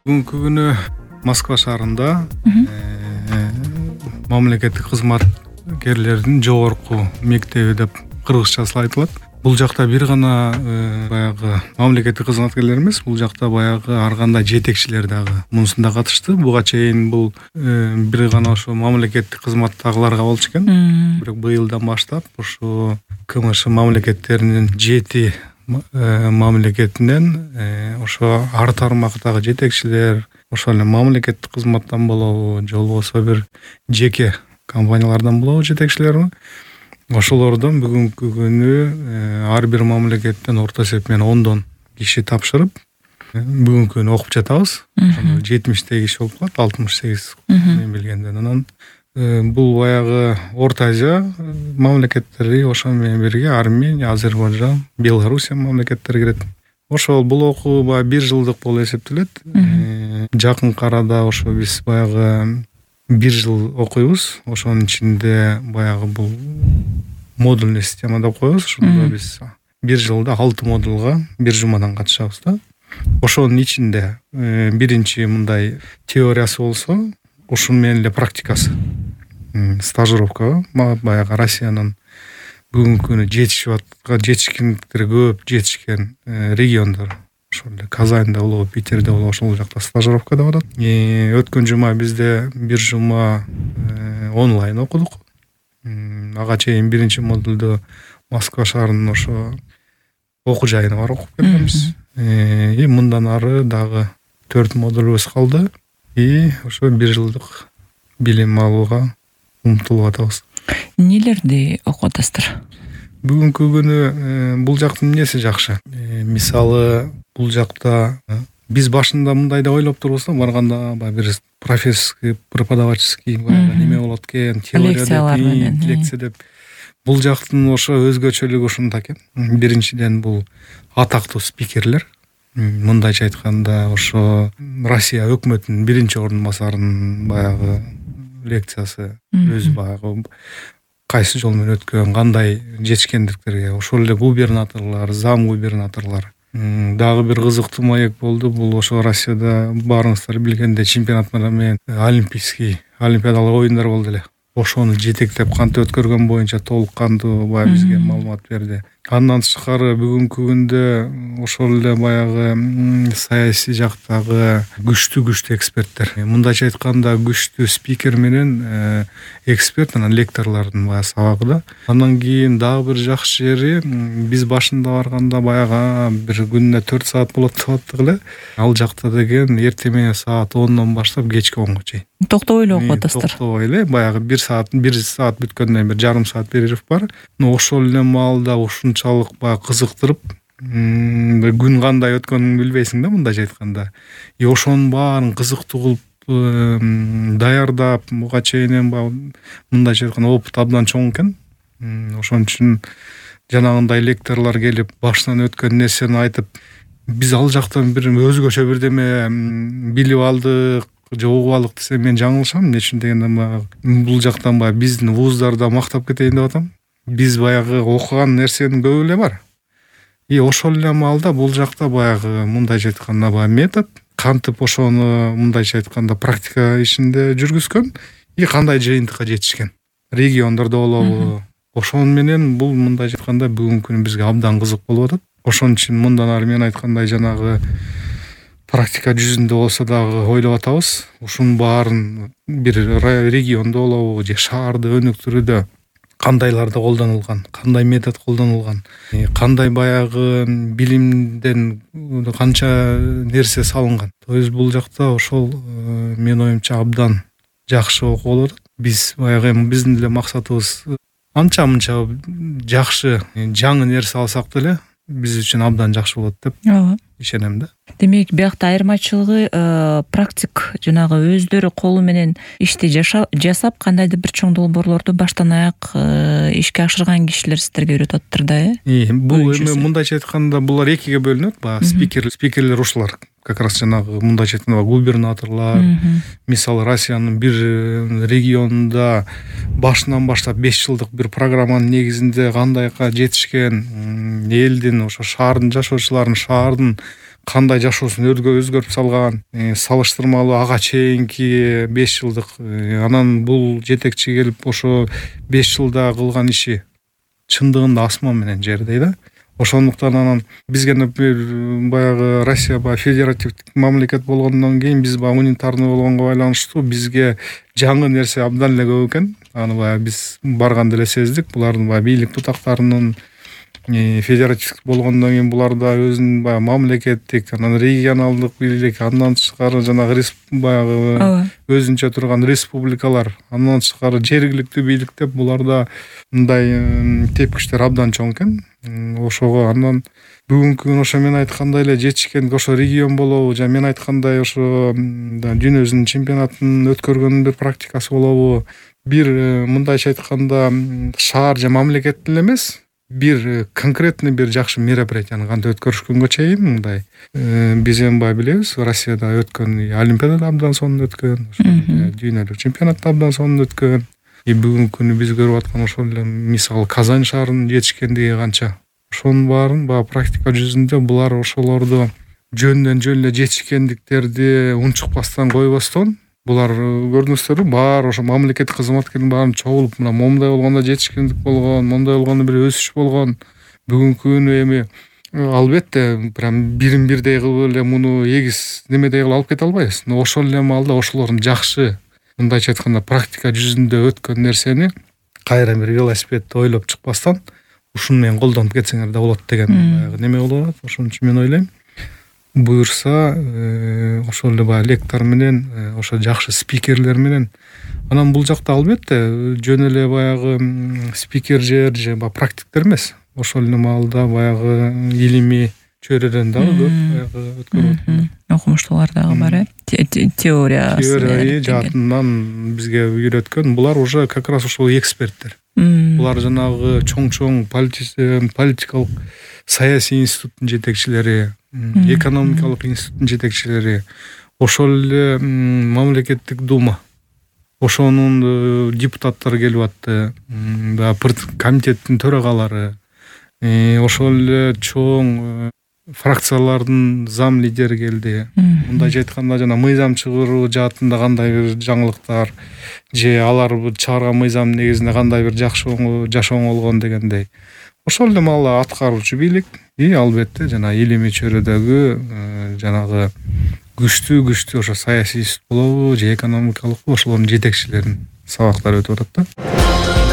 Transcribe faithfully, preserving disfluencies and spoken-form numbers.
Бүгүнкү күнү Москва шаарында мамлекеттик кызматкерлердин жогорку мектеби деп кыргызчасы айтылат. Бул жакта бир гана баягы мамлекеттик кызматкерлер эмес, бул жакта баягы ар кандай жетекчилер дагы мунусунда катышты. Буга чейин бул бир гана ошо мамлекеттик кызматтагыларга болчу экен. Бирок быйылдан баштап ошо КМШ мамлекеттеринин жети мамлекетинен ошо ар тармактагы жетекчилер, ошол эле мамлекеттик кызматтан болобу, же болбосо бир жеке компаниялардан болобу жетекчилер. Ошолордон бүгүнкү күнү ар бир мамлекеттен орто эсеп менен ондон киши тапшырып, бүгүнкү күнү окуп жатабыз. жетимиштей киши болуп калат, алтымыш сегиз мен билгенден. Анан бул баягы Орто Азия мамлекеттери, ошо менен бирге Армения, Азербайжан, Белоруссия мамлекеттери кирет. Ошол бул окуу баягы бир жылдык болуп эсептелет. Жакынкы арада ошо биз баягы бир жыл окуйбуз. Ошонун ичинде баягы бул модульный система деп коебуз. Ошондо биз бир жылда алты модулга бир жумадан катышабыз да. Ошонун ичинде биринчи мындай теориясы болсо, ушун менен эле практикасы. Стажировка баягы Россиянын бүгүнкү күнү жетишип аткан, жетишкендиктери көп жетишкен региондор. Ошол эле Казанда болобу, Питерде болобу, ошол жакта стажировка деп атат. Өткөн жума бизде бир жума онлайн окудук. Ага чейин биринчи модулду Москва шаарынын ошо окуу жайына барып окуп келгенбиз. И мындан ары дагы төрт модулубуз калды. И ошо бир жылдык билим алууга умтулуп атабыз. Нелерди окуп атасыздар? Бүгүнкү күнү бул жактын эмнеси жакшы. Мисалы, бул жакта биз башында мындай деп ойлоп турбуз да, барганда баягы бир профессорский, преподавательский баягы неме болот экен, теория деп, лекция деп. Бул жактын ошо өзгөчөлүгү ушунда экен. Биринчиден бул атактуу спикерлер. Мындайча айтканда, ошо Россия өкмөтүнүн биринчи ордун басарынын баягы лекциясы, өзү баягы кайсы жол менен өткөн, кандай жетишкендиктерге, ошол эле губернаторлор, зам губернаторлор. Дагы бир кызыктуу маек болду. Бул ошо Россияда баарыңыздар билгендей чемпионаттар менен олимпийский, олимпиадалык оюндар болду эле. Ошону жетектеп кантип өткөргөн боюнча толук кандуу баягы бизге маалымат берди. Андан тышкары бүгүнкү күндө ошол эле баягы саясий жактагы күчтүү-күчтүү эксперттер. Мындайча айтканда, күчтүү спикер менен эксперт, анан лекторлордун баягы сабагы да. Андан кийин дагы бир жакшы жери, биз башында барганда баягы бир күнүнө төрт саат болот деп аттык эле. Ал жакта деген эртең менен саат ондон баштап кечки онго чейин. Токтобой эле окуп атасыздар. Токтобой эле, баягы бир саат, бир саат бүткөндөн кийин бир жарым саат перерыв бар. Но ошол эле маалда ушунчалык баягы кызыктырып, күн кандай өткөнүн билбейсиң да, мындайча айтканда. И ошонун баарын кызыктуу кылып даярдап, буга чейин баягы мындайча айтканда опыт абдан чоң экен. Ошон үчүн жанагындай лекторлор келип, башынан өткөн нерсени айтып, биз ал жактан бир өзгөчө бирдеме билип алдык, же угуп алдык десем мен жаңылышам. Эмне үчүн дегенде, бул жактан баягы биздин вуздарда мактап кетейин деп атам. Биз баягы окуган нерсенин көбү эле бар. И ошол эле маалда бул жакта баягы мындайча айтканда баягы метод, кантип ошону мындайча айтканда практика ишинде жүргүзгөн, и кандай жыйынтыкка жетишкен. Региондордо болобу. Ошон менен бул мындайча айтканда бүгүнкү күнү бизге абдан кызык болуп атат. Ошон үчүн мындан ары мен айткандай жанагы практика жүзүндө болсо дагы ойлоп атабыз. Ушунун баарын бир региондо болобу, же шаарды өнүктүрүүдө кандайларды колдонулган, кандай метод колдонулган, кандай баягы билимден канча нерсе салынган. То есть бул жакта ошол мен оюмча абдан жакшы окуу болуп атат. Биз баягы биздин эле максатыбыз анча-мынча жакшы, жаңы нерсе алсак деле биз үчүн абдан жакшы болот деп ишенем да. Демек, биякта айырмачылыгы практик, жанагы өздөрү колу менен ишти жасап, кандайдыр бир чоң долбоорлорду баштан аяк ишке ашырган кишилер сиздерге үйрөтүп атыптыр да, э? Бул эми мындайча айтканда булар экиге бөлүнөт. Баягы спикер, спикерлер ушулар. Как раз жанагы мындайча айтканда губернаторлор, мисалы Россиянын бир регионунда башынан баштап беш жылдык бир программанын негизинде кандайга жетишкен, элдин, ошо шаардын жашоочуларынын, шаардын кандай жашоосун өзгөртүп салган, салыштырмалуу ага чейинки беш жылдык, анан бул жетекчи келип ошо беш жылда кылган иши чындыгында асман менен жердей да. Ошондуктан анан бизге, например, баягы Россия баягы федеративдик мамлекет болгондон кийин биз баягы унитарный болгонго байланыштуу бизге жаңы нерсе абдан эле көп экен. Аны баягы биз барганда эле сездик. Булардын баягы бийлик тутактарынын федеративдик болгондон кийин буларда өзүнүн баягы мамлекеттик, анан регионалдык бийлик, андан тышкары жанагы баягы өзүнчө турган республикалар, андан тышкары жергиликтүү бийлик деп буларда мындай тепкичтер абдан чоң экен. Ошого андан бүгүнкү күн ошо мен айткандай эле жетишкен ошо регион болобу, жана мен айткандай ошо дүйнөбүздүн чемпионатын өткөргөндүн бир практикасы болобу, бир мындайча айтканда шаар же мамлекет эле эмес, бир конкретный бир жакшы мероприятияны кантип өткөрүшкөнгө чейин мындай биз эми баягы билебиз, Россияда өткөн олимпиадада абдан сонун өткөн, дүйнөлүк чемпионатта абдан сонун өткөн. И бүгүнкү күнү биз көрүп аткан ошол эле мисалы Казань шаарынын жетишкендиги канча. Ошонун баарын баягы практика жүзүндө булар ошолорду жөндөн жөн эле жетишкендиктерди унчукпастан койбостон, булар көрдүңүздөрбү, баары ошо мамлекеттик кызматкердин баарын чогулуп, мына момундай болгондо жетишкендик болгон, моундай болгондо бир өсүш болгон. Бүгүнкү күнү эми албетте прям бирин бирдей кылып эле муну эгиз немедей кылып алып кете албайбыз. Но ошол эле маалда ошолордун жакшы, мындайча айтканда практика жүзүндө өткөн нерсени кайра бир велосипедди ойлоп чыкпастан ушуну менен колдонуп кетсеңер да болот деген баягы неме болуп атат. Ошон үчүн мен ойлойм, буюрса ошол эле баягы лектор менен, ошо жакшы спикерлер менен, анан бул жакта албетте жөн эле баягы спикер же же баягы практиктер эмес, ошол эле маалда баягы илимий чөйрөдөн дагы көп баягы өткөрүп аткандар, окумуштуулар дагы бар э, теория теория жаатынан бизге үйрөткөн. Булар уже как раз ошол эксперттер. Булар жанагы чоң-чоң политикалык саясий институттун жетекчилери, экономикалык институттун жетекчилери, ошол эле мамлекеттик дума, ошонун депутаттары келип атты, комитеттин төрагалары, ошол эле чоң фракциялардын зам лидери келди. Мындайча айтканда жана мыйзам чыгаруу жаатында кандай бир жаңылыктар же алар чыгарган мыйзам негизинде кандай бир жакшы жашоо болгон дегендей. Ошол эле маала аткаруучу бийлик и албетте жана илимий чөйрөдөгү жанагы күчтүү күчтүү ошо саясий институт болобу же экономикалык ошолордун жетекчилеринин сабактары өтүп атат да.